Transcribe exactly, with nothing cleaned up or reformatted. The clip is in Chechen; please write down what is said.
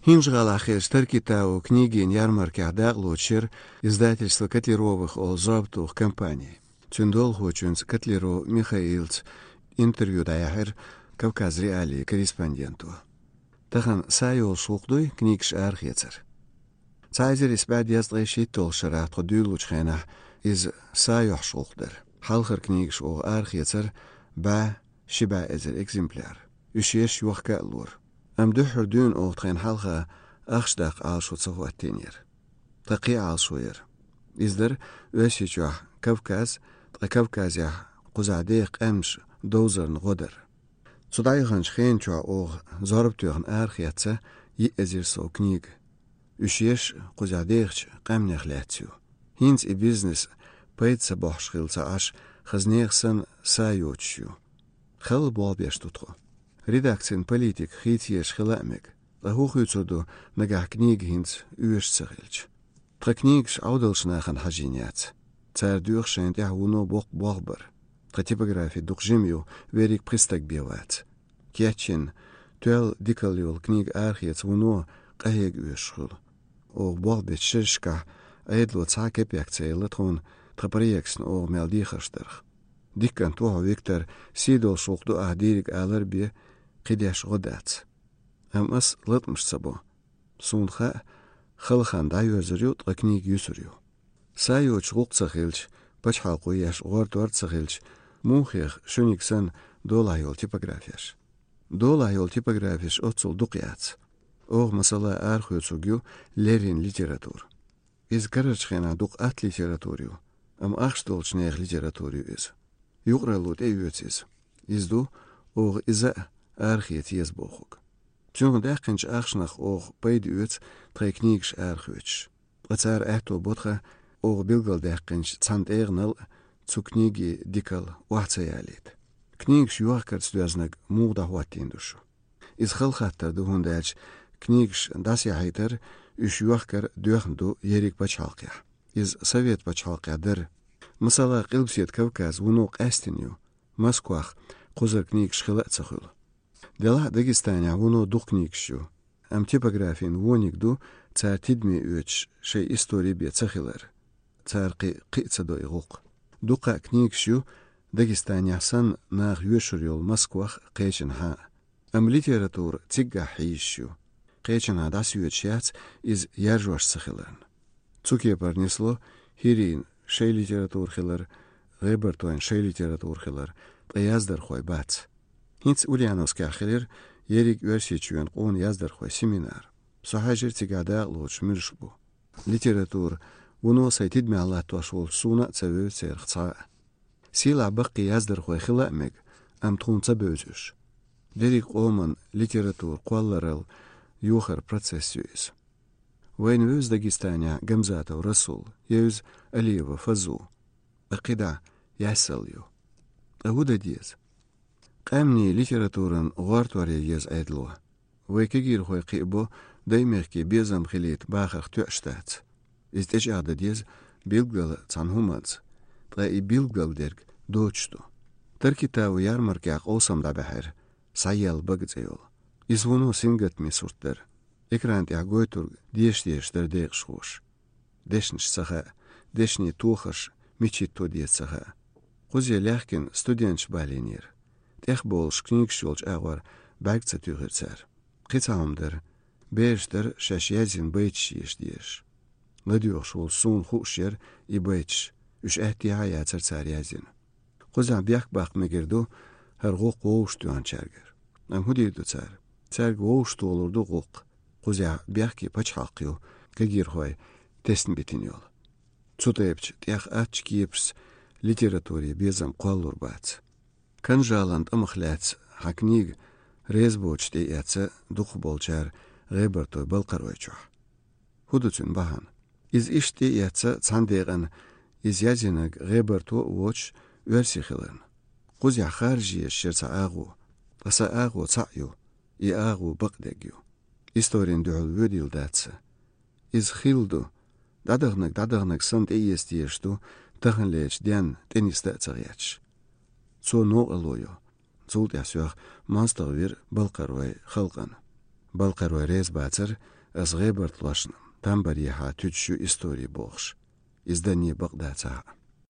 ХӀинжа-ГӀалахь хиллачу Таркитау книгийн ярмаркехь дакъалоцуш яра издательство Котлеровых олу зорбатуху компани. Цуьнан долахочуьнца Котлеров Михаилца интервью дӀаяьхьира Кавказ.Реалии корреспонденто. Тахана са йолуш гӀуллакх дуй книгаш арахецар? Цхьа эзар исс бӀе дезткъе шийтталгӀачу шарахь тхо дуьйлалучу хенахь иза са йолуш гӀуллакх дара. Хьалхара книгаш оха арахецара бӀе, ши бӀе эзар экземпляр. Уьш еш йохка а лора. Амма дуьххьара дуьйна оха тхайна хьалха ахча даккха Ӏалашо ца хӀоттийнера. Тхан кхин а Ӏалашо яра. Иза дара Оьрсийчохь Кавказ, ткъа Кавказехь кхузахь деха къаьмнаш довзарна гӀо дар. Цу дӀаяханчу хенан чохь оха зорба тоьхна арахецна йиъ эзар сов книга. Уьш еш кхузахь дехачу къаьмнех лаьцна ю. ХӀинца и бизнес пайда ца бохьуш хилла ца Ӏаш, хаза нехан санна са йоцуш ю. Халла болх беш ду тхо. Редакцин политика хийца езаш хила а мега. Ткъа хӀун хуьйцур ду, нагахь книга хӀинца оьшуш ца хилча? Тхан книгаш Ӏовдалчу нахана хьажийна яц. Цара доьху шайна тӀехь вуно боккха болх бар. Тхан типографи дукха жима ю, верриг пхи стаг бен вац. Кечйина, тоьлла дикалла йолу книга арахеца вуно къахьега оьшуш хуьлу. Оха болх бечу шерашкахь Ӏедало цхьа а кепек ца елла тхуна тхан проекташна оха мел дехарш дарх. Дикант ву хьо, Виктор, сий долуш гӀуллакх ду ахь дийриг алар а бен, кхидерш гӀо дац. Амма ас латкъамаш ца бо. Суна хаьа, хала хан дӀайоьрзур ю, ткъа книга юьсур ю. Са йоцуш гӀуллакх ца хилча, пачхьалкхо еш гӀортор а ца хилча, муха хеха шуьниг санна долахь йолу типографеш? Долахь йолу типографеш оццул дукха яц. Оха, масала, арахоьцург ю леррина литература. Иза карарчу хенахь дукха атта литература ю, амма ахча долчу нехан литература ю иза. Юкъаралло тӀеоьцу иза. Иза ду оха иза а арахеца еза бохург. Цуьнах даьккхинчу ахчанах оха пайда оьцу тхайн книгаш арахоьцуш. Ткъа цара аьтто бо тхан оха билгалдаьккхинчу цхьана тӀегӀанал а цу книгин дикалла охьа ца ялийта. Книгаш йохкарца доьзнарг муха дӀахӀоттийна ду шу? Иза хала хаттар ду, хӀунда аьлча книгаш дӀасаяхьийтар, уьш йохкар доьхна ду ерриг пачхьалкхехь. Иза Совет пачхьалкхехь дара. Масала, Къилбаседа Кавказ вуно къаьстина ю, Москвахь кхузара книгаш хила а ца хуьлу. Делахь а Дагестанехь вуно дукха книгаш ю, амма типографин вониг ду цара тидаме оьцуш шайн истори бен ца хилар. Цара кхин кхиа ца до и гӀуллакх. Дуккха а книгаш ю Дагестанехь санна наха йоьшур йолу Москвахь, кхечанхьа а. Амма литература циггахь хьийзаш ю. Кхечанхьа дӀасоьцуш яц иза яржош ца хиларна. Цу кепара нисло хӀирийн шайн литература хилар, ГӀебартойн шайн литература хилар, ткъа яздархой бац. ХӀинца Ульяновскехь хилира ерриг Оьрсийчоьнан къона яздархойн семинар. Со хьаьжира, цигахь дакъалоцуш муьлш бу. Литература вуно сайн тидамехь латтош волчу суна а ца вевза церах цхьа а. Сийлахь баккхий яздархой хила а мега, амма тхуна ца бевза уьш. Дерриг къоман литература кхолларал йохар процесс ю иза. Вайна вевза Дагестанехь Гамзатов Расул, евза Алиева Фазу. Ткъа кхидӀа яьссал ю. Ткъа хӀун дан деза? Къаьмнийн литературан гӀортор ян еза Ӏедало. Вай кегийрхой кхиабо даймехкан безам хилийта бахарх тоьаш дац. Иза тӀечӀагӀдан деза билггала цхьана хӀуманца, ткъа и билггал дерг доцуш ду. Таркитау ярмаркехь къовсам дӀабаьхьира, «Схьаелла бага» цӀе йолу. Иза вуно сингаттаме сурт дара. Экран тӀехь гойтург деша-дешаш дара декъашхоша. Дешнаш ца хаьа, дешнийн тохарш мича хӀитто деза ца хаьа. Кхузе лаьхкина студенташ балийнера. ТӀехболуш книгаш йолчу агӀор бӀаьрг ца туьйхира цара. Кхин цхьа хӀума дара. Бераш дара шаьш язйина байташ еша дезаш. ЛадоьгӀуш волчу суна хууш яра и байташ, уьш аьттехьа а яцара цара язйина. Кхузахь бехк баккха мегар ду, хӀара гӀуллакх вовшахтоьхначаьргара. Амма хӀун дийр ду цара? Цаьрга вовшахтолур ду гӀуллакх. Кхузахь бехке пачхьалкх ю, кегийрхой тесна битина йолу. Цу тайпачу тӀех аттачу кепашца литературе безам кхоллур бац. Канжалан тӀамах лаьцна хьан книга реза боцуш тӀеэцна дукхахболчара ГӀебартойн-Балкхаройчохь. ХӀун ду цуьнан бахьана? Иза иштта тӀеэцна цхьана декъана, иза язйинарг ГӀебарто а воцуш, оьрси хиларна. Кхузахь харжа езаш яра цхьа агӀо, ткъа сан агӀо цхьаъ ю, и агӀо бакъдерг ю. Историн дуьхьал воьдийла дац сан. Иза хилла ду, дӀадаханарг дӀадаханарг санна тӀеэца дезаш ду, таханлерчу денна тӀе нисдан а ца гӀерташ. Цо новкъарло йо. Цул тӀаьхьа соьх мостагӀа вира Балкхаройн халкъана. Балкхарой реза бацар, аз гӀебарт лошна, тамбарехьа туьдаш ю истори бохуш. Иза данне бакъдацахь а.